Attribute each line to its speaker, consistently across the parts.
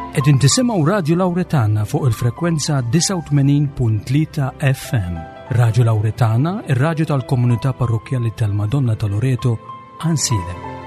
Speaker 1: Qegħdin tisimgħu Radju Lawretana fuq il-frekwenza 89.3 FM. Radju Lawretana, ir-radju tal-komunità parrokkjali tal-Madonna ta' Loreto, Ansilem.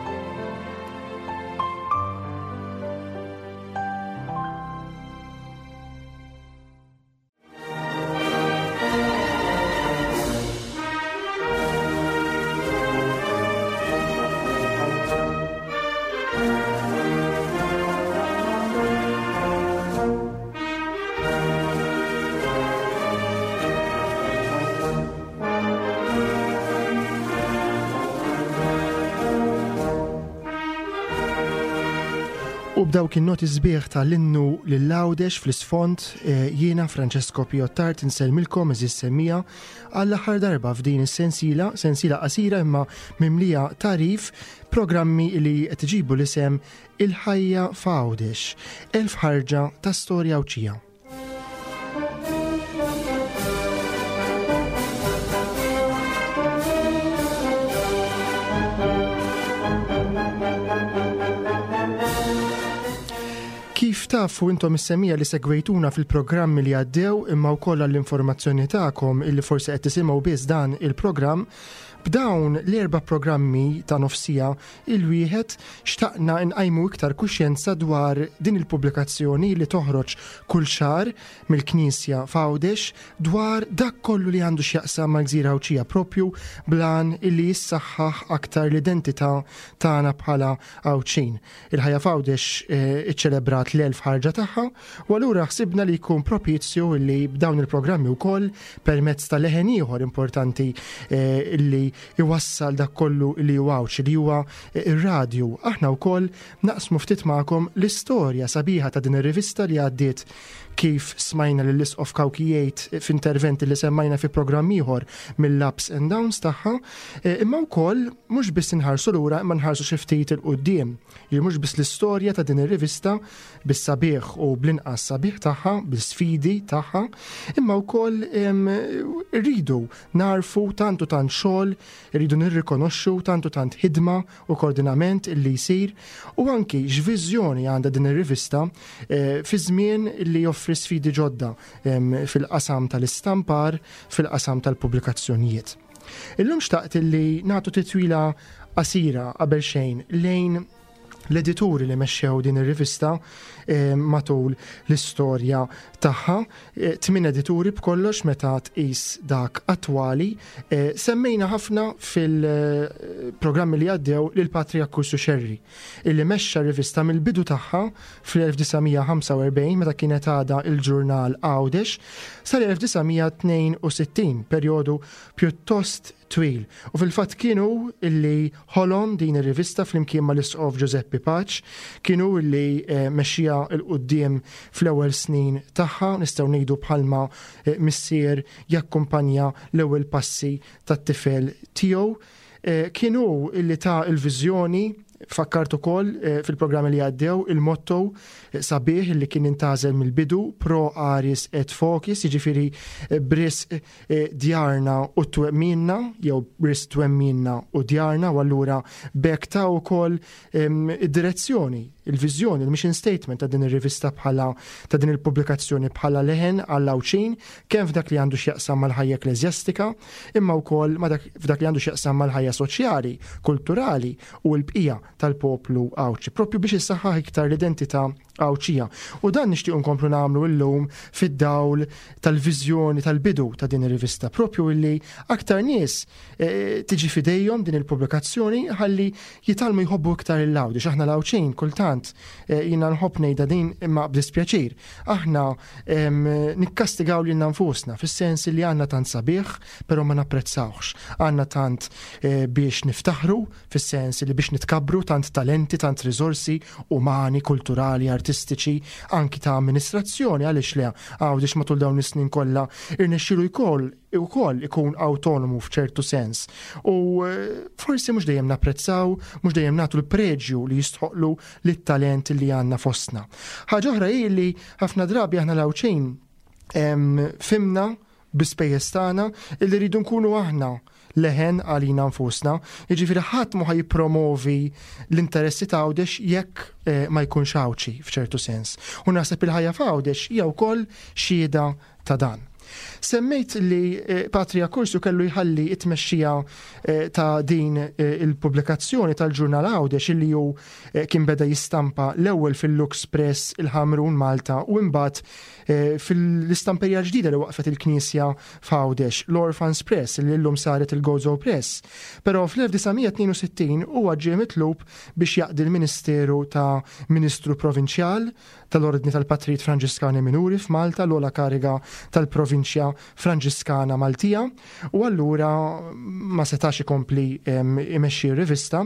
Speaker 2: U b'dawk in-noti sbieħ tal-innu lil Għawdex fl-isfond eh, jiena Francesco Piottart insellmilkom eżis semmija għall-aħħar darba f'din is-sensiela, sensiela qasira imma mimlija tarif programmi li qed iġibu l-isem Il-ħajja f'Għawdex, elf ħarġa ta' storja Għawdxija. Kif tafu intom is-semija li segwejtuna fil-programmi li għaddew imma wkoll għall-informazzjoni tagħkom illi forsi qed tisimgħu biss dan il-programm, b'dawn l-erba' programmi ta' nofsija il-wieħed xtaqna nqajmu iktar kuxjenza dwar din il-pubblikazzjoni li toħroġ kull xahar mill-Knisja f'Għawdex dwar dak kollu li għandu x'jaqsam mal-Gżira Għawdxija propju bl-għan illi jissaħħaħ aktar l-identità tagħna bħala Għawdxin. Il-ħajja f'Għawdex eh, iċċelebrat l-elf ħarġa tagħha u allura ħsibna li jkun propizju li b'dawn il-programmi wkoll permezz ta' leħen ieħor importanti eh, illi iwassal dak kollu li huwa Għawdxi li huwa eh, ir-radju. Aħna wkoll naqsmu ftit magħkom l-istorja sabiħa ta' din ir-rivista li għaddiet kif smajna lill isqof Kawki jgħid f'interventi li semmajna fi programm ieħor mill-ups and downs tagħha, eh, imma wkoll mhux biss inħarsu lura imma nħarsu xi ftit il quddiem. Li mhux biss l-istorja ta' din ir-rivista bis-sabiħ u bl-inqas sabiħ tagħha, bl-sfidi tagħha, imma wkoll rridu narfu tant u tant xogħol, irridu nirrikonoxxu tant u tant ħidma u koordinament illi jsir u anki x'viżjoni għandha din ir-rivista eh, fi żmien li joffri sfidi ġodda fil-qasam tal-istampar, fil-qasam tal-pubblikazzjonijiet. Illum xtaqt illi nagħtu titwila qasira qabel xejn lejn l-edituri li mexxew din ir-rivista eh, matul l-istorja tagħha. Eh, tmien edituri b'kollox meta tqis dak attwali. Eh, semmejna ħafna fil-programmi li għaddew lil Patri Akkursu Xerri, illi mexxa rivista mill-bidu tagħha fl-1945 meta kienet għadha il-ġurnal Għawdex sal-1962, perjodu pjuttost twil. U fil-fatt kien hu illi ħolom din ir-rivista flimkien mal-Isqof Ġużeppi Paċ, kien hu illi eh, mexxiha 'l quddiem fl-ewwel snin tagħha, nistgħu ngħidu bħalma eh, missier jakkumpanja l-ewwel passi tat-tifel tiegħu. Eh, kien hu illi ta l-viżjoni fakkart ukoll fil-programmi li għaddew il-motto sabiħ li kien intażel mill-bidu pro aris et focis, jiġifieri bris E, djarna u twemminna, jew ris twemminna u djarna, u allura bekk ta' wkoll id-direzzjoni, il-viżjoni, il-mission statement ta' din ir-rivista bħala ta' din il-pubblikazzjoni bħala leħen għall Għawdxin, kemm f'dak li għandu x'jaqsam mal-ħajja ekkleżjastika, imma wkoll f'dak li għandu x'jaqsam mal-ħajja soċjali, kulturali u l-bqija tal-poplu Għawdxi, propju biex issaħħaħ iktar l-identità Għawdxija. U dan nixtiequ nkomplu nagħmlu llum fid-dawl tal-viżjoni tal-bidu ta' din ir-rivista, propju illi aktar nies eh, tiġi fidejhom din il-pubblikazzjoni ħalli jitgħallmu jħobbu iktar il-Għawdex. Aħna l-Għawdxin kultant eh, jiena nħobb ngħidha din imma b'dispjaċir. Aħna nikkastigaw lilna nfusna fis-sens li għandna tant sabiħ, però ma napprezzawhx. Għandna tant eh, biex niftaħru fis-sens li biex nitkabbru tant talenti, tant riżorsi umani, kulturali, artistiċi, anki ta' amministrazzjoni, għaliex le Għawdex matul dawn is-snin kollha irnexxielu jkoll ukoll ikun awtonomu f'ċertu sens. U eh, forsi mhux dejjem napprezzaw, mhux dejjem nagħtu l-preġju li jistħoqlu lit-talent li għandna fostna. Ħaġa oħra hi li ħafna drabi aħna l-Għawdxin fimna bi spejjeż tagħna illi rridu nkunu aħna leħen għalina nfusna. Jiġifieri ħadd mhu ħa jippromovi l-interessi ta' Għawdex jekk eh, ma jkunx Għawdxi f'ċertu sens. U naħseb il-ħajja f'Għawdex hija wkoll xhieda ta' dan. Semmejt li eh, Patri Accursio kellu jħalli it-tmexxija eh, ta' din il-pubblikazzjoni tal-ġurnal Għawdex illi hu kien beda jistampa l-ewwel fil-Lux Press il-Ħamrun Malta u imbagħad fil-istamperija ġdida li waqfet il-Knisja f'Għawdex, l-Orphans Press li llum saret il-Gozo Press. Però fl-1962 huwa ġie mitlub biex jaqdi l-ministeru ta' Ministru Provinċjal tal-Ordni tal-Patrijiet Franġiskani Minuri f'Malta, l-ogħla kariga tal-Provinċja Franġiskana Maltija, u allura ma setax ikompli imexxi r-rivista,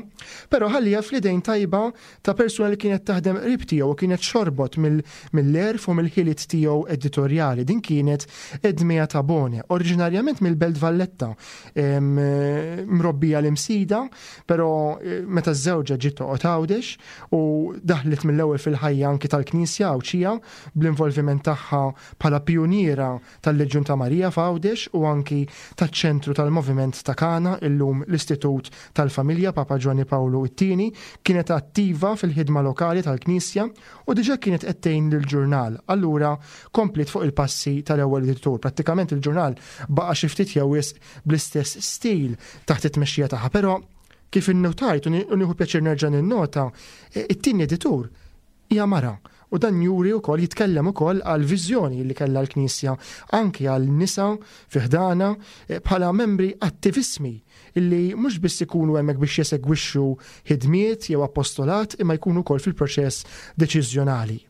Speaker 2: però ħalliha fl-idejn tajba ta' persuna li kienet taħdem qrib tiegħu u kienet xorbot mill-għerf u mill-ħiliet tiegħu editorjali. Din kienet Edmea Tabone, oriġinarjament mill-Belt Valletta, mrobbija l-Imsida, però eh, meta żewġa ġiet toqgħod Għawdex u daħlet mill-ewwel fil-ħajja anki tal-Knisja Għawdxija bl-involviment tagħha bħala pijuniera tal-Leġjun ta' Marija f'Għawdex u anki taċ-ċentru tal-Moviment ta' Kana, illum l-Istitut tal-Familja Papa Ġwanni Pawlu t-Tieni, kienet attiva fil-ħidma lokali tal-Knisja u diġà kienet qed tgħin lill-ġurnal, allura kompliet fuq il-passi tal-ewwel editur. Prattikament il-ġurnal baqa' xi ftit jew wisq bl-istess stil taħt it-tmexxija tagħha, però kif innutajt u nieħu pjaċir nerġa' ninnota, it-tieni editur hija mara u dan juri wkoll jitkellem ukoll għal viżjoni li kellha l-Knisja anki għal nisa fi ħdana eh, bħala membri attivissmi illi mhux biss ikunu hemmhekk biex jesegwixxu ħidmiet jew apostolat imma jkunu wkoll fil-proċess deċiżjonali.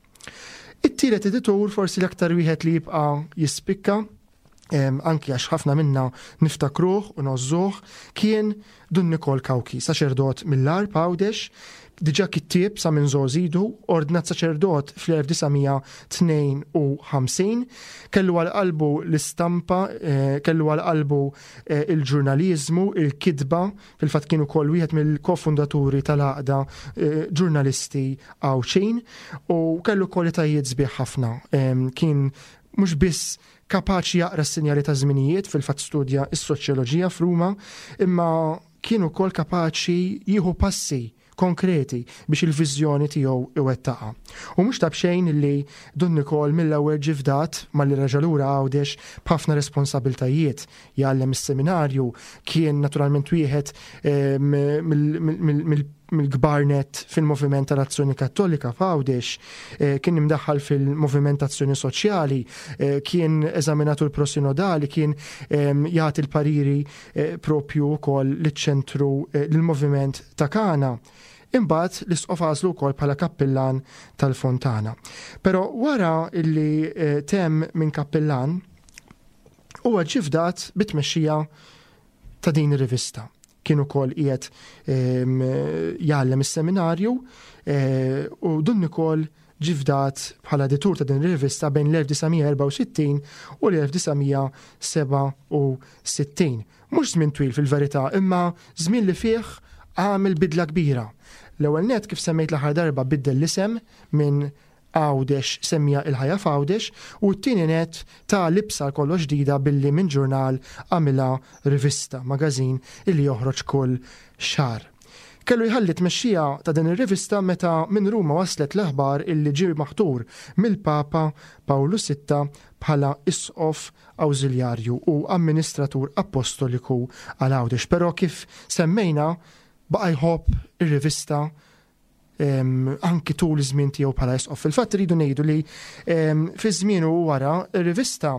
Speaker 2: It-tielet editur forsi l-aktar wieħed li jibqa' jispikka anki għax ħafna minna niftakruh u nozzuh, kien Dun Nikol Kawki, saċerdot mill-Għarb Għawdex, diġà kittieb sa minn żgħożidu, ordnat saċerdot fl-1952, kellu għal qalbu l-istampa, eh, kellu għal qalbu eh, il-ġurnaliżmu, il-kitba, fil-fatt kien ukoll wieħed mill-kofundaturi tal-għaqda eh, ġurnalisti Għawdxin u kellu kwalitajiet sbieħ ħafna. Kien mhux biss Kapaċi jaqra s-sinjali taż-żminijiet, fil-fatt studja s-soċjoloġija f'Ruma, imma kien ukoll kapaċi jieħu passi konkreti biex il-viżjoni tiegħu iwettaqha. U mhux ta' b'xejn li Dun Nikol mill-ewwel ġie fdat malli reġa' lura Għawdex b'ħafna responsabiltajiet. Jgħallem is-seminarju, kien naturalment wieħed eh, mill-kbar nett fil-Moviment tal-Azzjoni Kattolika f'Għawdex, eh, kien imdaħħal fil-Moviment Azzjoni Soċjali, eh, kien eżaminatur prosinodali, kien ehm, jagħti l-pariri eh, propju wkoll liċ-ċentru lill-Moviment ta' Kana. Imbagħad l-isqof għażlu wkoll bħala kappillan tal-Fontana. Però wara illi temm minn kappillan, huwa ġie fdat bit-tmexxija ta' din ir-rivista. Kien ukoll qiegħed ehm, jgħallem is-seminarju eh, u Dun Nikol ġie fdat bħala editur ta' din ir-rivista bejn l-1964 u l-1967. Mhux żmien twil fil-verità, imma żmien li fih għamel bidla kbira. L-ewwel net kif semmejt l-aħħar darba biddel l-isem minn Għawdex semmija Il-Ħajja f'Għawdex u t-tieni nett ta libsa għal kollox ġdida billi minn ġurnal għamilha rivista, magazine illi joħroġ kull xahar. Kellu jħalli t-tmexxija ta' din ir-rivista meta minn Ruma waslet l-aħbar illi ġie maħtur mill-Papa Pawlu Sitta bħala Isqof Awżiljarju u Amministratur Appostoliku għal Għawdex. Però kif semmejna baqa' jħobb ir-rivista anki tul iż-żmien tiegħu bħala isqof. Fil-fatt iridu ngħidu li fi żmienu wara ir-rivista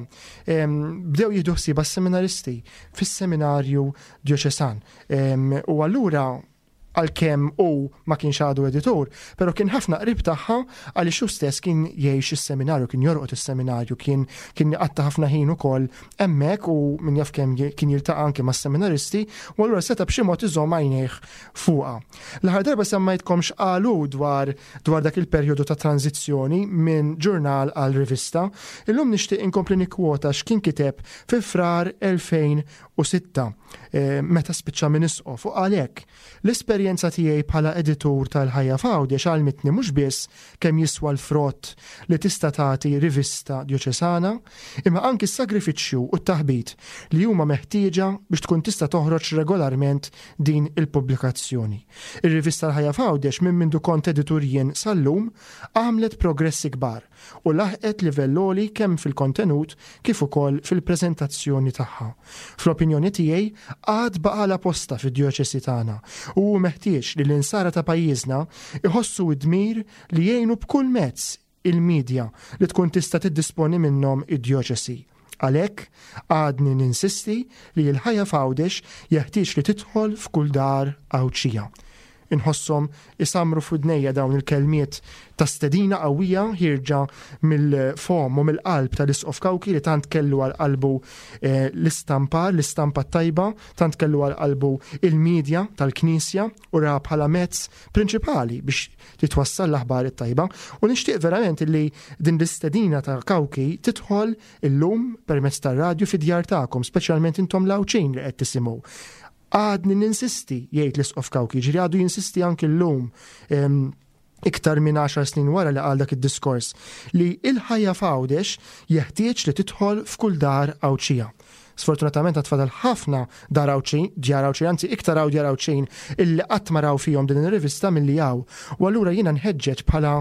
Speaker 2: bdew jieħdu ħsiebha s-seminaristi fis-seminarju djoċesan. U allura għalkemm hu ma kienx għadu editur, però kien ħafna qrib tagħha għaliex hu stess kien jgħix is-seminarju, kien jorqod is-seminarju, kien kien jqatta' ħafna ħin ukoll hemmhekk u min jaf kemm kien jiltaqa' anke mas-seminaristi, u allura seta' b'xi mod iżomm għajnejh fuqha. L-aħħar darba semmajtkom x'qalu dwar dwar dak il-perjodu ta' tranżizzjoni minn ġurnal għal rivista. Illum nixtieq inkompli nikkwota x'kien kiteb fi Frar 2006 eh, meta spiċċa minn isqof u qal hekk. L-esperjenza L-esperjenza tiegħi bħala editur tal-Ħajja f'Għawdex għallmitni mhux biss kemm jiswa l-frott li tista' tagħti rivista djoċesana, imma anki s-sagrifiċċju u t-taħbit li huma meħtieġa biex tkun tista' toħroġ regolarment din il-pubblikazzjoni. Ir-rivista L-Ħajja f'Għawdex minn mindu kont editur jien sal-lum għamlet progressi kbar u laħqet livell għoli kemm fil-kontenut kif ukoll fil-preżentazzjoni tagħha. Fl-opinjoni tiegħi, għad baqgħalha postha fid-djoċesi tagħna u hu meħtieġ li l-Insara ta' pajjiżna jħossu d-dmir li jgħinu b'kull mezz il-midja li tkun tista' tiddisponi minnhom id-djoċesi. Għalhekk, għadni ninsisti li l-ħajja f'Għawdex jeħtieġ li tidħol f'kull dar Għawdxija. Inħosshom isammru f'widnejja dawn il-kelmiet ta' stedina qawwija ħierġa mill-fomm u mill-qalb tal-Isqof Cauchi li tant kellu għal qalbu eh, l-istampar, l-istampa t-tajba, tant kellu għal qalbu il-medja tal-Knisja u ra bħala mezz prinċipali biex titwassal l-aħbar it-tajba. U nixtieq verament li din l-istedina ta' Cauchi tidħol illum permezz tar-radju fid-djar tagħkom, speċjalment intom l-Għawdxin li qed tisimgħu. Għadni ninsisti, jgħid l-Isqof Cauchi, ġifieri għadu jinsisti anki llum iktar minn 10 snin wara li qal dak id-diskors, li il-ħajja f'Għawdex jeħtieġ li tidħol f'kull dar Għawdxija. Sfortunatament għad fadal ħafna dar Għawdxin, djar Għawdxin, anzi iktar hawn djar Għawdxin illi qatt ma raw fihom din ir-rivista milli hawn. U allura jiena nħeġġeġ bħala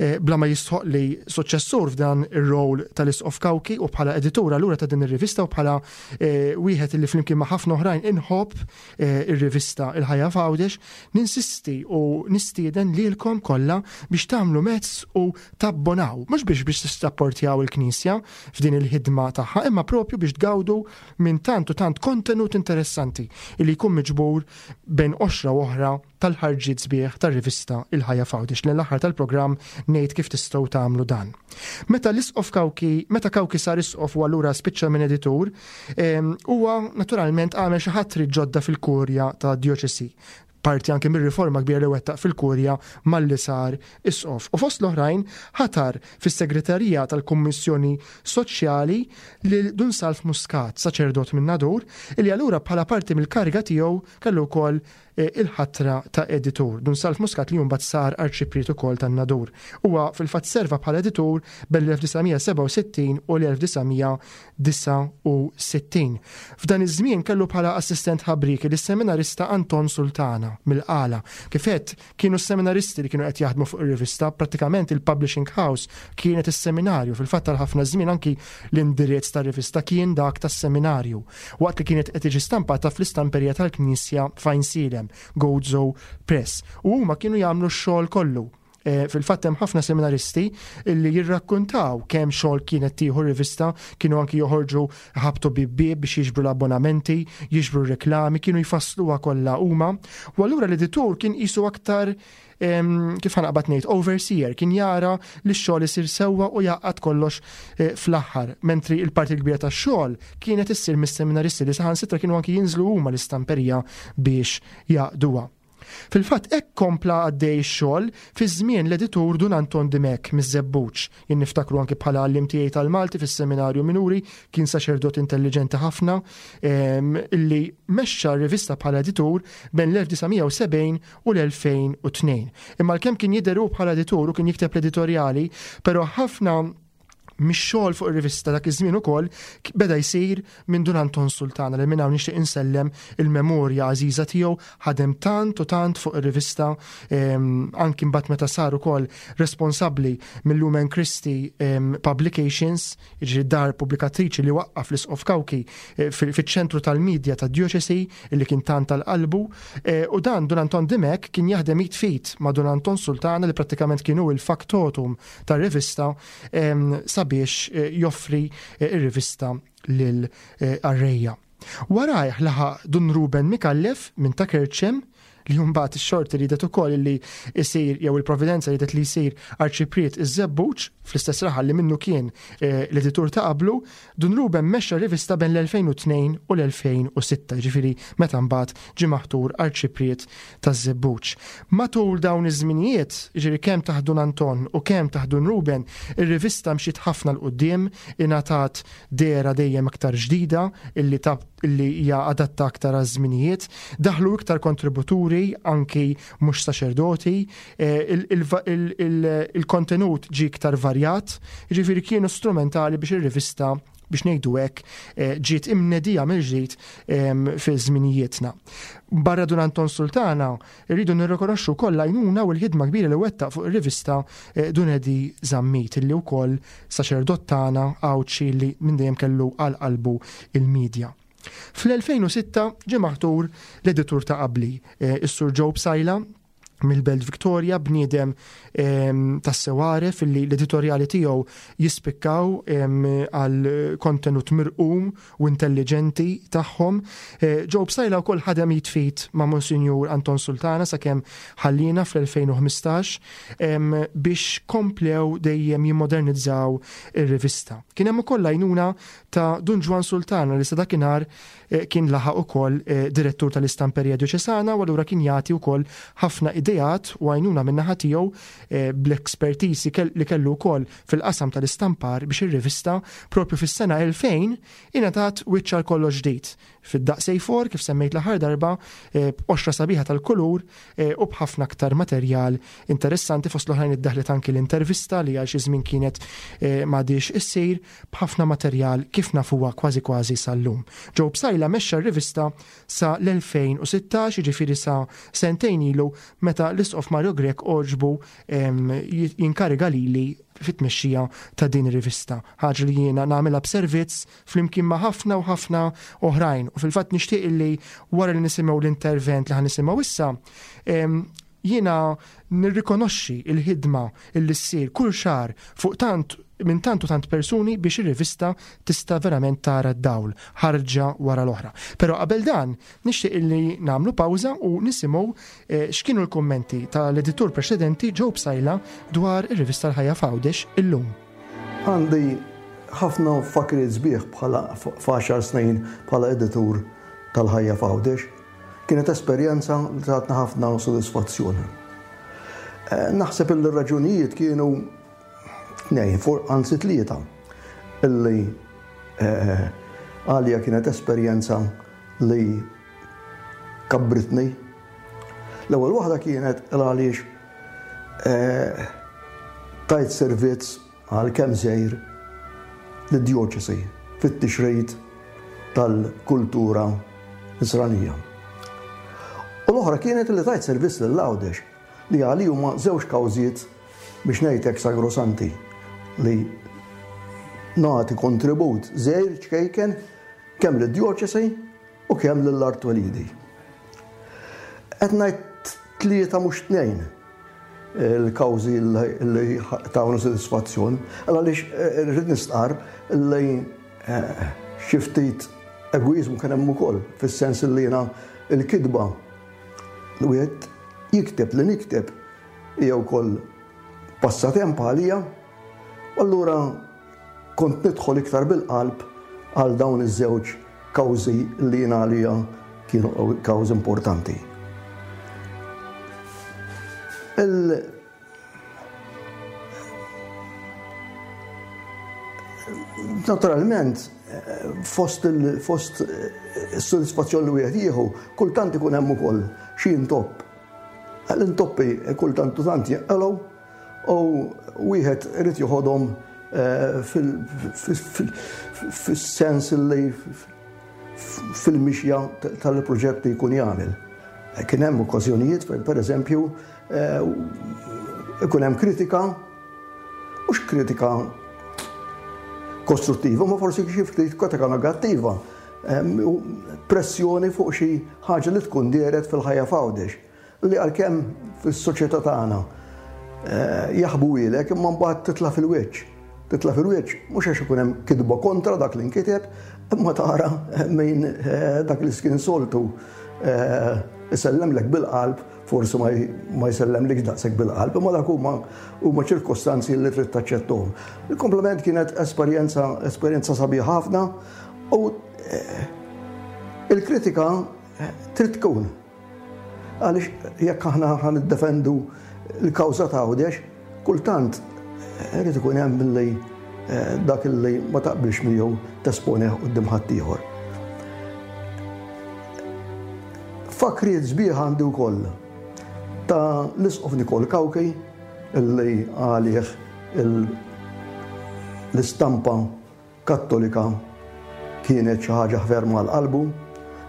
Speaker 2: eh, bla ma jistħoq li suċċessur f'dan ir-rol tal-Isqof Cauchi u bħala editur allura ta' din ir-rivista u bħala eh, wieħed li flimkien ma' ħafna oħrajn inħobb eh, ir-rivista Il-Ħajja f'Għawdex, ninsisti u nistieden lilkom kollha biex tagħmlu mezz u tabbonaw, mhux biex biex tissapportjaw il-Knisja f'din il-ħidma tagħha, imma propju biex tgawdu minn tant u tant kontenut interessanti li jkun miġbur bejn qoxra u oħra tal-ħarġiet sbieħ tar-rivista Il-Ħajja f'Għawdex lejn l-aħħar tal-programm ngħid kif tistgħu tagħmlu dan. Meta l-Isqof Cauchi, meta Cauchi sar isqof u allura spiċċa minn editur, huwa naturalment għamel xi ħatri ġodda fil-kurja ta' djoċesi parti anke mir-riforma kbira li wettaq fil-kurja malli sar isqof. U fost l-oħrajn ħatar fis-segretarija tal-Kummissjoni Soċjali lil Dun Salv Muscat, saċerdot minn Nadur, illi allura bħala parti mill-kariga tiegħu kellu wkoll il-ħatra ta' editur. Dun Salv Muscat li mbagħad sar arċipriet ukoll tan-Nadur. Huwa fil-fatt serva bħala editur bejn l-1967 u l-1969. F'dan iż-żmien kellu bħala assistent ħabrieki lis-seminarista Anton Sultana mill-Qala. Kif għedt, kienu s-seminaristi li kienu qed jaħdmu fuq ir-rivista, prattikament il-publishing house kienet is-seminarju. Fil-fatt għal ħafna żmien anki l-indirizz tar-rivista kien dak tas-seminarju, waqt li kienet qed tiġi stampata fl-istamperija tal-Knisja f'Għajnsielem, Gozo Press. U huma kienu jagħmlu x-xogħol kollu. Eh, fil-fatt hemm ħafna seminaristi li jirrakkuntaw kemm xogħol kienet tieħu rivista, kienu anki joħorġu ħabtu bib biex jiġbru l-abbonamenti, jiġbru r-reklami, kienu jfassluha kollha huma. U allura l-editur kien qisu aktar kif ħanaqbad ngħid overseer, kien jara li x-xogħol isir sewwa u jgħaqqad kollox eh, fl-aħħar, mentri il-parti l-kbira tax-xogħol kienet issir mis-seminaristi li saħansitra kienu anki jinżlu huma l-istamperija biex jaqduha. Fil-fatt hekk kompla għaddej ix-xogħol fi żmien l-editur Dun Anton Dimech miż-Żebbuġ. Jien niftakru anki bħala għalliem tiegħi tal-Malti fis-Seminarju Minuri, kien saċerdot intelliġenti ħafna illi mexxa r-rivista bħala editur bejn l-1970 u l-2002. Imma għalkemm kien jidher hu bħala editur u kien jikteb l-editorjali, però ħafna mix-xogħol fuq ir-rivista dak iż-żmien ukoll beda jsir minn Dun Anton Sultana li minn hawn nixtieq insellem il-memorja għażiża tiegħu ħadem tant u tant fuq ir-rivista ehm, anki mbagħad meta sar ukoll responsabbli mill-Lumen Christi ehm, Publications, jiġri dar pubblikatriċi li waqqaf l-Isqof Cauchi eh, fiċ-ċentru tal-medja tad-djoċesi li kien tant tal-qalbu eh, u dan Dun Anton Dimech kien jaħdem id fit ma' Dun Anton Sultana li prattikament kienu il-faktotum tar-rivista sabiex eh, joffri eh, ir-rivista lil eh, qarrejja. Warajh laħaq Dun Ruben Micallef minn ta' Kerċem li mbagħad ix-xorti ridet ukoll li jsir jew il-providenza ridet li jsir arċipriet iż-Żebbuġ fl-istess raħal li minnu kien l-editur ta' qablu, Dun Ruben mexxa r-rivista bejn l-2002 u l-2006, jiġifieri meta mbagħad ġie maħtur Arċipriet taż-Żebbuġ. Matul dawn iż-żminijiet, jiġifieri kemm taħt Dun Anton u kemm taħt Dun Ruben, ir-rivista mxiet ħafna 'l quddiem, ingħatat dehra dejjem aktar ġdida illi li hija adatta aktar għaż-żminijiet, daħlu iktar kontributuri anki mhux saċerdoti, eh, il-kontenut ġie iktar varjat, jiġifieri kienu strumentali biex ir-rivista biex ngħidu hekk eh, ġiet imnedija mill-ġdid ehm, fi żminijietna. Barra Dun Anton Sultana, irridu nirrikonoxxu wkoll l-għajnuna u l-ħidma kbira li wettaq fuq ir-rivista eh, Dun Edi Zammit illi wkoll saċerdot tagħna Għawdxi li minn dejjem kellu għal qalbu il-medja. Fl-2006 ġie maħtur l-editur ta' qabli, eh, is-Sur Joe Psaila, mill-Belt Victoria, bniedem ehm, tassew għaref illi l-editorjali tiegħu jispikkaw ehm, għal kontenut mirqum u intelligenti tagħhom. Eh, Joe Psaila wkoll ħadem jitfit ma' Monsinjur Anton Sultana sakemm ħallina fl-2015 ehm, biex komplew dejjem jimmodernizzaw ir-rivista. Kien hemm ukoll għajnuna ta' Dun Ġwann Sultana li sa dakinhar kien laħaq ukoll direttur tal-Istamperija Djoċesana u allura kien jagħti wkoll ħafna ideat u għajnuna min-naħa tiegħu bl-expertise li kellu wkoll fil-qasam tal-istampar biex ir-rivista propju fis-sena 2000 ingħatat wiċċ għal kollox ġdid fid-daqs A4 kif semmejt l-aħħar darba b'qoxra sabiħa tal-kulur u b'ħafna aktar materjal interessanti fost l-oħrajn iddaħlet anki l-intervista li għal xi żmien kienet m'għadhiex issir b'ħafna materjal kif nafuha kważi kważi sal-lum. Joe Psaila mexxa r-rivista sa l-2016, jiġifieri sa sentejn ilu meta l-Isqof Mario Grech għoġbu jinkariga lili fit-tmexxija ta' din ir-rivista. Ħaġa li jiena nagħmilha b'servizz flimkien ma' ħafna u ħafna oħrajn. U fil-fatt nixtieq illi wara li nisimgħu l-intervent li ħa nisimgħu issa, Jiena nirrikonoxxi l-ħidma li ssir kull xahar fuq tant minn tant u tant persuni biex ir-rivista tista' verament tara d-dawl, ħarġa wara l-oħra. Però qabel dan, nixtieq illi nagħmlu pawża u nisimgħu x'kienu l-kummenti tal-editur preċedenti Joe Psaila dwar ir-rivista L-Ħajja f'Għawdex illum.
Speaker 3: Għandi ħafna fakriet sbieħ bħala f'għaxar snin bħala editur tal-Ħajja f'Għawdex. Kienet esperjenza li tatna ħafna sodisfazzjon. Eh, naħseb illi r-raġunijiet kienu tnejn, anzi tlieta, illi eh, għalija kienet esperjenza li kabbritni. L-ewwel waħda kienet għaliex eh, tajt servizz għalkemm żgħir, lid-djoċesi fit-tixrid tal-kultura Nisranija. U l-oħra kienet li tajt servizz lil Għawdex, li għali huma żewġ kawżiet biex ngħid hekk sagrosanti li nagħti kontribut żgħir ċkejken kemm lid-djoċesi u kemm lil art twelidi. Qed ngħid tlieta mhux tnejn il-kawżi li tawna sodisfazzjon, għaliex eh, rrid nistqar li eh, xi ftit egoizmu kien hemm ukoll, fis-sens li jiena il-kitba li wieħed jikteb li nikteb hija wkoll passatemp għalija, allura Kont nidħol iktar bil-qalb għal dawn iż-żewġ kawżi li jien għalija kienu kawżi importanti. Il Naturalment, fost il-fost is-sodisfazzjon li wieħed jieħu, kultant ikun hemm ukoll xi intopp. L-intoppi kultant u tant jinqalgħu U wieħed irid joħodhom eh, fis-sens li fil-mixja tal-proġett li jkun jagħmel. Eh, kien hemm okkażjonijiet fejn pereżempju eh, ikun hemm kritika, mhux kritika kostruttiva, ma forsi xi ftit kritika negattiva, pressjoni fuq xi ħaġa li tkun dehret fil-ħajja f'Għawdex. Li għalkemm fis-soċjetà tagħna jaħbuhielek imma mbagħad titla' fil-wiċċ. Titla' fil-wiċċ mhux għax ikun hemm kitba kontra dak li nkiteb, imma tara min dak li kien soltu isellemlek bil-qalb forsi ma jsellemlikx daqshekk bil-qalb, imma dak huma huma ċirkostanzi li trid taċċettuhom. Il-komplement kienet esperjenza esperjenza sabiħa ħafna u il-kritika trid tkun. Għaliex jekk aħna ħa niddefendu l-kawża ta' Għawdex, kultant irid ikun hemm billi eh, dak li ma taqbilx miegħu tesponih quddiem ħaddieħor. Tfakriet sbieħ għandi wkoll ta' l-Isqof Nikol Cauchi illi għalih l-istampa Kattolika kienet xi ħaġa ferm għal qalbu.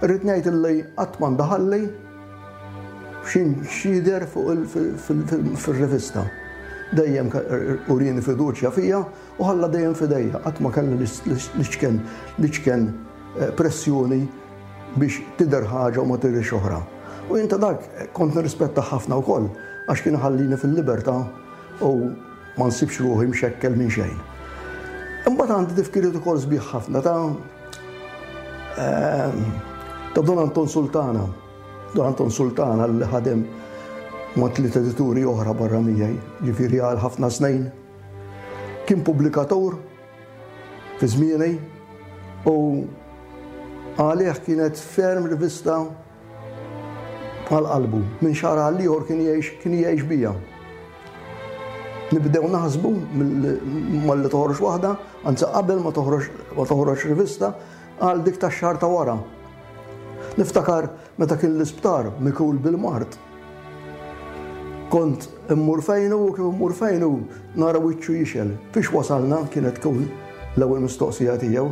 Speaker 3: Irrid ngħid illi qatt ma ndaħalli x'jidher fuq fir-rivista. Dejjem urieni fiduċja fija u ħalla dejjem f'idejja, qatt ma kelli l-iċken l-iċken eh, pressjoni biex tidher ħaġa u ma tidhirx oħra. U jien ta' dak kont nirrispetta ħafna wkoll għax kien ħallini fil-libertà u ma nsibx ruħi mxekkel minn xejn. Imbagħad għandi tifkiriet ukoll sbieħ ħafna ta' ehm, ta' Don Anton Sultana. Don Anton Sultana li ħadem ma' tliet edituri oħra barra miegħi, ġifieri għal ħafna snin. Kien pubblikatur fi żmieni u għalih kienet ferm rivista għal qalbu. Minn xahar għal ieħor kien jgħix kien jgħix bija. Nibdew naħsbu malli toħroġ waħda, anzi qabel ma toħroġ ma toħroġ rivista għal dik tax-xahar ta' wara. Niftakar meta kien l-isptar mikul bil-mard. Kont immur fejnu u kif immur fejnu nara wiċċu jixel. Fiex wasalna kienet tkun l-ewwel mistoqsija tiegħu.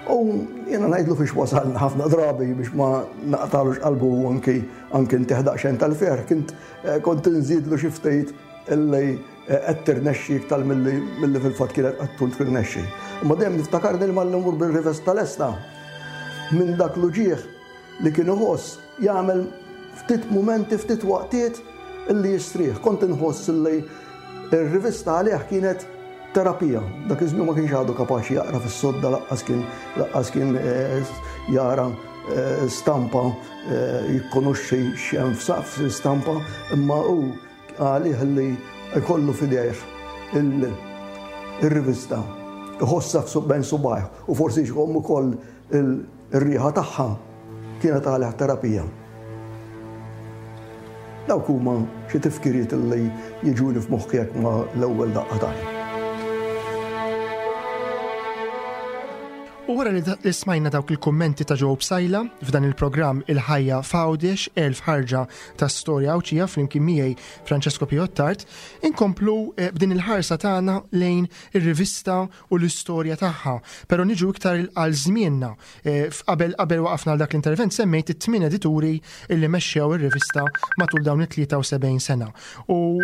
Speaker 3: U jiena ngħidlu fiex wasalna ħafna drabi biex ma naqtalux qalbu anki anki ntih daqsxejn tal-ferħ kint eh, kont inżidlu xi ftit illi eh, qed tirnexxi iktar milli fil-fatt kienet qed tkun tirnexxi. Imma dejjem niftakarni li malli mmur bil-rivesta lesta minn dak l-uġigħ li kien iħoss jagħmel ftit mumenti, ftit waqtiet illi jistrieħ. Kont inħoss illi r-rivista għalih kienet terapija. Dak iż-żmien ma kienx għadu kapaċi jaqra fis-sodda laqqas kien laqqas kien eh, jara eh, stampa eh, jikkonoxxi x'hemm f'stampa, imma hu għalih li jkollu f'idejh il-rivista iħossha bejn subgħajh u forsi jxomm ukoll Ir-riħa tagħha kienet għalih terapija. Dawk huma xi tifkiriet li jiġuni f'moħħi hekk ma' l-ewwel daqqa t'għajn.
Speaker 2: U wara li smajna dawk il-kummenti ta' Joe Psaila f'dan il-programm Il-ħajja f'Għawdex, 1000 ħarġa ta' storja Għawdxija flimkien miegħi Francesco Piottart, inkomplu eh, b'din il-ħarsa tagħna lejn ir-rivista u l-istorja tagħha. Però niġu iktar għal żmienna. Eh, qabel qabel waqafna għal dak l-intervent semmejt it-tmien edituri illi mexxew ir-rivista matul dawn it-73 sena. U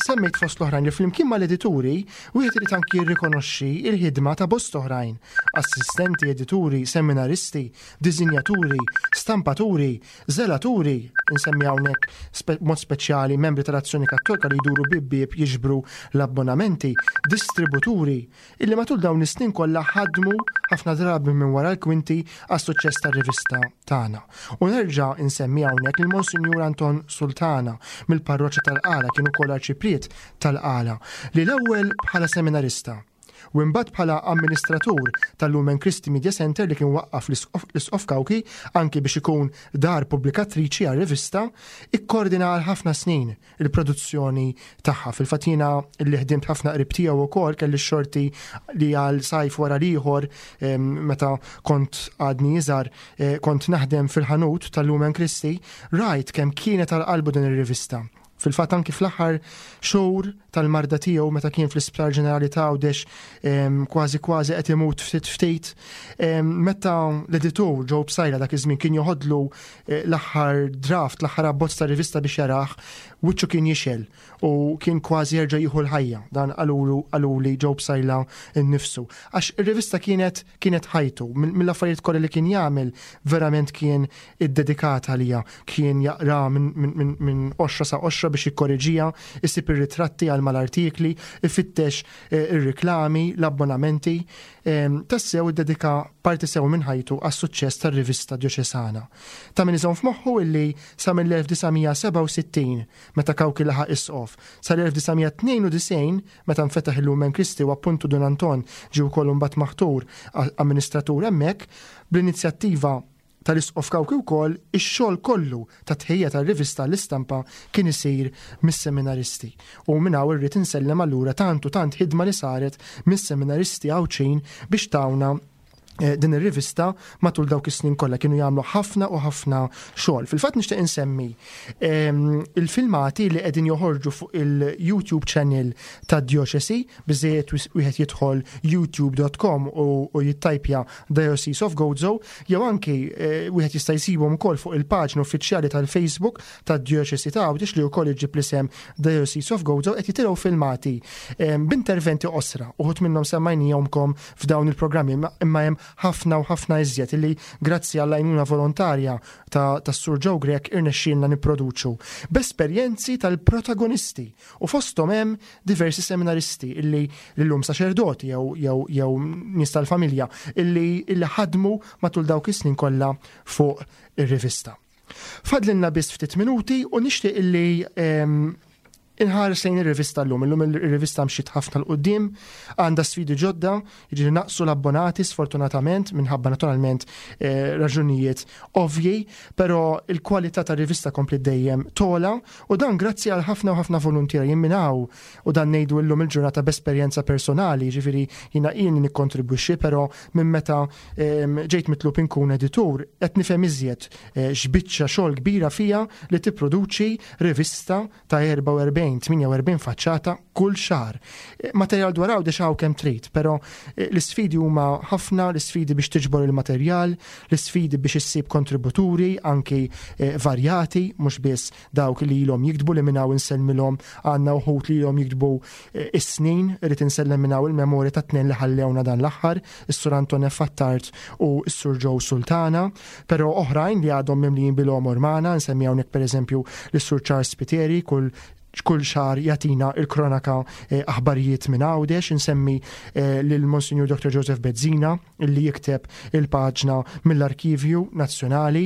Speaker 2: semmejt fost l-oħrajn li flimkien mal-edituri wieħed irid anki jirrikonoxxi il-ħidma ta' bost oħrajn, assistenti, edituri, seminaristi, disinjaturi, stampaturi, Żelaturi, insemmi hawnhekk b'mod speċjali membri tal-Azzjoni Kattolika li jduru bieb bieb jiġbru l-abbonamenti, distributuri, illi matul dawn is-snin kollha ħadmu ħafna drabi minn wara l-kwinti għas-suċċess tar-rivista tagħna. U nerġa' nsemmi hawnhekk lil Monsinjur Anton Sultana mill-Parroċċa tal-Qala kien ukoll Arċipriet tal-Qala li l-ewwel bħala seminarista, u imbagħad bħala amministratur tal-Lumen Christi Media Center li kien waqqaf l-Isqof Cauchi anki biex ikun dar pubblikatriċi għar-rivista, ikkordina għal ħafna snin il-produzzjoni tagħha. Fil-fatt jiena li ħdimt ħafna qrib tiegħu wkoll kelli x-xorti li għal sajf wara l-ieħor meta kont għadni iżgħar eh, kont naħdem fil-ħanut tal-Lumen Christi, rajt kemm kienet għal qalbu din ir-rivista. Fil-fatt anki fl-aħħar xhur tal-marda tiegħu meta kien fl-Isptar Ġenerali ta' Għawdex kważi kważi qed imut ftit ftit, meta l-editur Joe Psaila dak iż-żmien kien joħodlu eh, l-aħħar draft, l-aħħar abbozz ta' rivista biex jarah, wiċċu kien jixel u kien kważi jerġa' jieħu l-ħajja. Dan qalulu qaluli Joe Psaila nnifsu. Għax ir-rivista kienet kienet ħajtu, mill-affarijiet kollha li kien jagħmel verament kien iddedikat għaliha. Kien jaqra minn qoxra sa qoxra biex jikkoreġiha, isib ir-ritratti għal mal-artikli, ifittex eh, ir-riklami, l-abbonamenti. Ehm, tassew iddedika parti sew minn ħajtu għas-suċċess tar-rivista djoċesana. Ta' min iżomm f'moħħu illi sa mill-1967 meta Cauchi laħaq isqof, sal-1992 meta nfetaħ il-Lumen Christi u appuntu Dun Anton ġie wkoll imbagħad maħtur amministratur hemmhekk, bl-inizjattiva tal-Isqof Cauchi wkoll, ix-xogħol kollu ta' tħejjija tar-rivista l-istampa kien isir mis-seminaristi. U minn hawn irrid insellem allura tant u tant ħidma li saret mis-seminaristi Għawdxin biex tawna eh, din ir-rivista matul dawk is-snin kollha kienu jagħmlu ħafna u ħafna xogħol. Fil-fatt nixtieq insemmi ehm, il-filmati li qegħdin joħorġu fuq il-YouTube channel tad-djoċesi biżejjed wieħed jidħol youtube.com u jittajpja Diocese of Gozo jew anki eh, wieħed jista' jsibhom ukoll fuq il-paġna uffiċjali tal-Facebook tad-djoċesi ta' Għawdex li wkoll iġġib l-isem Diocese of Gozo qed jitilgħu filmati ehm, b'interventi qosra uħud minnhom semmajnihomkom f'dawn il-programmi imma hemm ħafna u ħafna iżjed illi grazzi għall-għajnuna volontarja tas-Sur Joe Grech irnexxielna nipproduċu b'esperjenzi tal-protagonisti u fosthom hemm diversi seminaristi illi llum saċerdoti jew jew jew nies tal-familja illi illi ħadmu matul dawk is-snin kollha fuq ir-rivista. Fadlilna biss ftit minuti u nixtieq illi ehm, inħares lejn ir-rivista llum. Illum ir-rivista mxiet ħafna 'l quddiem, għandha sfidi ġodda, jiġifieri naqsu l-abbonati sfortunatament minħabba naturalment eh, raġunijiet ovvji, però il-kwalità tar-rivista kompli dejjem tola u dan grazzi għal ħafna u ħafna voluntiera jien minn hawn u dan ngħidu llum il-ġurnata b'esperjenza personali, jiġifieri jiena ilni nikkontribwixxi, però minn meta ehm, ġejt mitlub inkun editur qed nifhem iżjed eh, x'biċċa xogħol kbira fiha li tipproduċi rivista ta' 44-48 faċċata kull xahar. Eh, materjal dwar Għawdex hawn kemm trid, però eh, l-isfidi huma ħafna, l-isfidi biex tiġbor il-materjal, l-isfidi biex issib kontributuri anki eh, varjati, mhux biss dawk li ilhom jiktbu li minn hawn insellmilhom għandna wħud li ilhom jiktbu is-snin, irid insellem minn hawn il-memorja ta' tnejn li ħallewna dan l-aħħar, is-Sur Anton F. Attard u s-Sur Joe Sultana, però oħrajn li għadhom mimlijin bil-għomor magħna, nsemmi hawnhekk pereżempju lis-Sur Charles Spiteri, kull kull xahar jagħtina il-kronaka eh, aħbarijiet minn Għawdex, insemmi eh, lil Monsignor Dr. Joseph Bezzina li jikteb il-paġna mill-Arkivju Nazzjonali.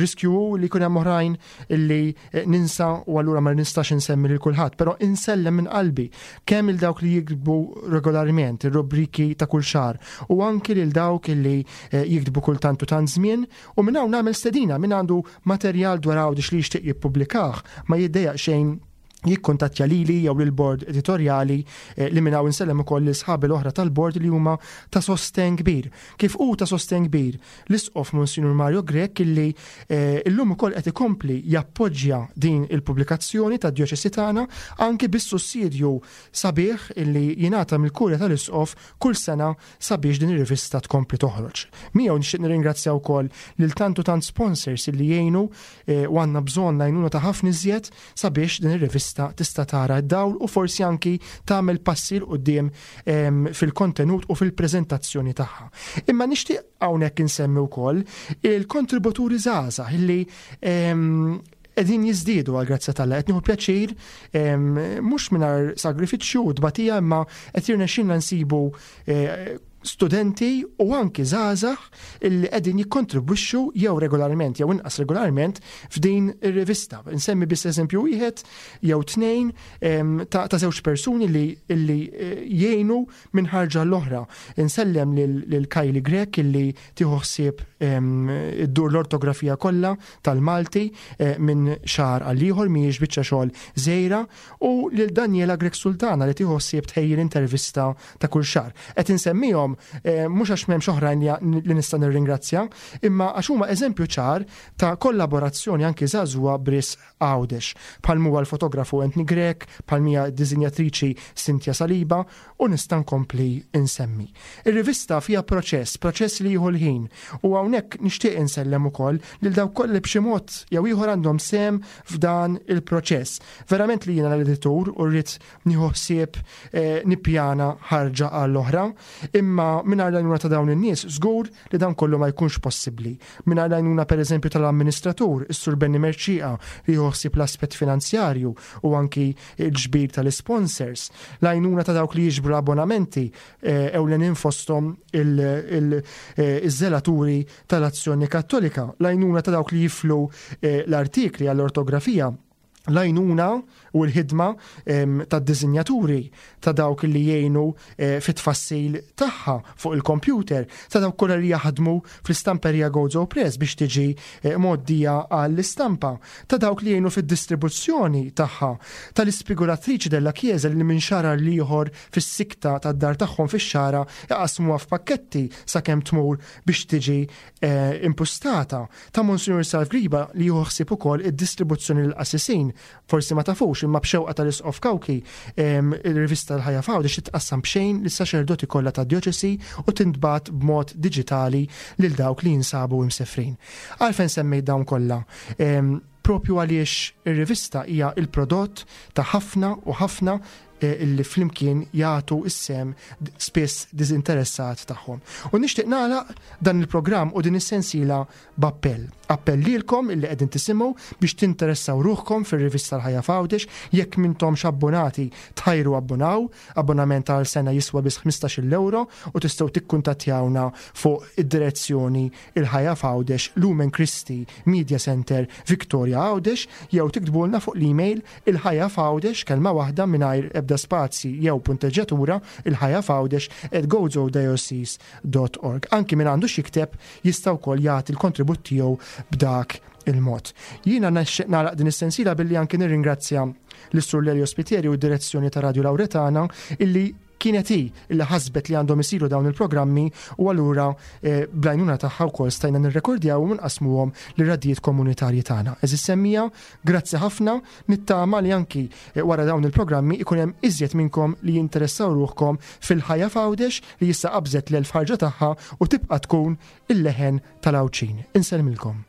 Speaker 2: Riskju li jkun hemm oħrajn illi eh, ninsa u allura ma nistax insemmi lil kulħadd, però insellem minn qalbi kemm il dawk li jiktbu regolarment ir-rubriki ta' kull xahar u anki lil dawk illi eh, jiktbu kultant u tant żmien u minn hawn nagħmel stedina min għandu materjal dwar Għawdex li jixtieq jippubblikah ma jiddejjaq xejn jikkuntattja lili jew lill-bord editorjali eh, li minn hawn insellem ukoll lil sħabi l-oħra tal-bord li huma ta' sosten kbir. Kif hu ta' sosten kbir l-Isqof Monsinjur Mario Grech illi eh, illum ukoll qed ikompli jappoġġja din il-pubblikazzjoni tad-djoċesi tagħna anki bis-sussidju sabiħ illi jingħata mill-Kurja tal-Isqof kull sena sabiex din ir-rivista tkompli toħroġ. Miegħu nixtieq nirringrazzja wkoll lil tant u tant sponsors illi jgħinu eh, u għandna bżonn l-għajnuna ta' ħafna iżjed sabiex din ir-rivista tista' tara d-dawl u forsi anki tagħmel passi 'l quddiem ehm, fil-kontenut u fil-preżentazzjoni tagħha. Imma nixtieq hawnhekk insemmi wkoll il-kontributuri żgħażagħ illi ehm, qegħdin jiżdiedu għal grazzja tal Qed nieħu pjaċir ehm, mhux mingħajr sagrifiċċju u tbatija imma qed jirnexxilna nsibu eh, studenti u anki żgħażagħ illi qegħdin jikkontribwixxu jew regolarment jew inqas regolarment f'din ir-rivista. Insemmi biss eżempju wieħed jew tnejn ta' żewġ persuni li illi eh, jgħinu minn ħarġa l-oħra. Insellem lil Kylie Grech illi tieħu ħsieb iddur l-ortografija kollha tal-Malti eh, minn xahar għal ieħor mhijiex biċċa xogħol żgħira u lil Daniela Grech Sultana li tieħu ħsieb tħejji l-intervista ta' kull xahar. Qed insemmihom eh, mhux għax m'hemmx oħrajn li nista' nirringrazzja, imma għax huma eżempju ċar ta' kollaborazzjoni anki żagħżugħa b'risq Għawdex. Bħal huwa l-fotografu Anthony Grech, bħal mija d-diżinjatriċi Cynthia Saliba u nista' nkompli insemmi. Ir-rivista fiha proċess, proċess li jieħu l-ħin u hawnhekk nixtieq insellem ukoll lil dawk kollha li b'xi mod jew ieħor għandhom sehem f'dan il-proċess. Verament li jiena l-editur u rrid nieħu ħsieb eh, nippjana ħarġa għall-oħra, imma mingħajr l-għajnuna ta' dawn in-nies żgur li dan kollu ma jkunx possibbli. Mingħajr l-għajnuna pereżempju tal-amministratur, is-Sur Benny Mercieca, li jieħu ħsieb l-aspett finanzjarju u anki l-ġbir tal-isponsors, l-għajnuna ta' dawk li jiġbru l-abbonamenti eh, ewlenin fosthom il-żelaturi eh, tal-Azzjoni Kattolika, l-għajnuna ta' dawk li jiflu l-artikli għall-ortografija. L-għajnuna u l-ħidma tad-disinjaturi, ta' dawk li jgħinu eh, fit-tfassil tagħha fuq il-kompjuter, ta' dawk kollha li jaħdmu fl-istamperija Gozo Press biex tiġi eh, mgħoddija għall-istampa, ta' dawk li jgħinu fid-distribuzzjoni tagħha, tal-ispigulatriċi della Chiesa li minn xahar għal ieħor fis-sikta tad-dar tagħhom fix-xagħra iqassmuha f'pakketti sakemm tmur biex tiġi eh, impustata ta' Monsinjur Salv Griba li jieħu ħsieb ukoll id-distribuzzjoni lill-qassisin. Forsi ma tafux imma b'xewqa tal-Isqof Cauchi il-rivista l-Ħajja f'Għawdex titqassam b'xejn lis-saċerdoti kollha tad-djoċesi u tintbagħat b'mod diġitali lil dawk li jinsabu imsefrin. Għalfejn semmejt dawn kollha? Propju għaliex ir-rivista hija l-prodott ta' ħafna u ħafna eh, illi flimkien jagħtu s-sem spiss diżinteressat tagħhom. U nixtieq nagħlaq dan il-programm u din is-sensiela b'appell. Appell lilkom illi qegħdin tisimgħu biex tinteressaw ruħkom fir-rivista l-Ħajja f'Għawdex, jekk m'intomx abbonati tħajru abbonaw, abbonament għal sena jiswa biss 15-il ewro u tistgħu tikkuntattjawna fuq id-direzzjoni Il-Ħajja f'Għawdex, Lumen Christi Media Centre, Victoria Għawdex, jew tiktbulna fuq l-email Il-Ħajja f'Għawdex, kelma waħda mingħajr ebda spazji jew punteġġjatura, ilħajjafgħawdex at gozodiocese dot org. Anki min għandu x'jikteb jista' wkoll jagħti l-kontribut tiegħu b'dak il-mod. Jiena nixtieq nagħlaq din is-sensiela billi anki nirringrazzja lis-Sur Lelio Spiteri u d-direzzjoni ta' Radio Lauretana illi Kienet hi li ħasbet li għandhom isiru dawn il-programmi u allura eh, bl-għajnuna tagħha wkoll stajna nirrekordjawhom u nqassmuhom lir-radjijiet komunitarji tagħna. Eżis semmija, grazzi ħafna, nittama li anki eh, wara dawn il-programmi ikun hemm iżjed minnkom li jinteressaw ruħkom fil-ħajja f'Għawdex li issa qabżet l-elf ħarġa tagħha u tibqa' tkun il-leħen tal-Għawdxin. Insellmilkom.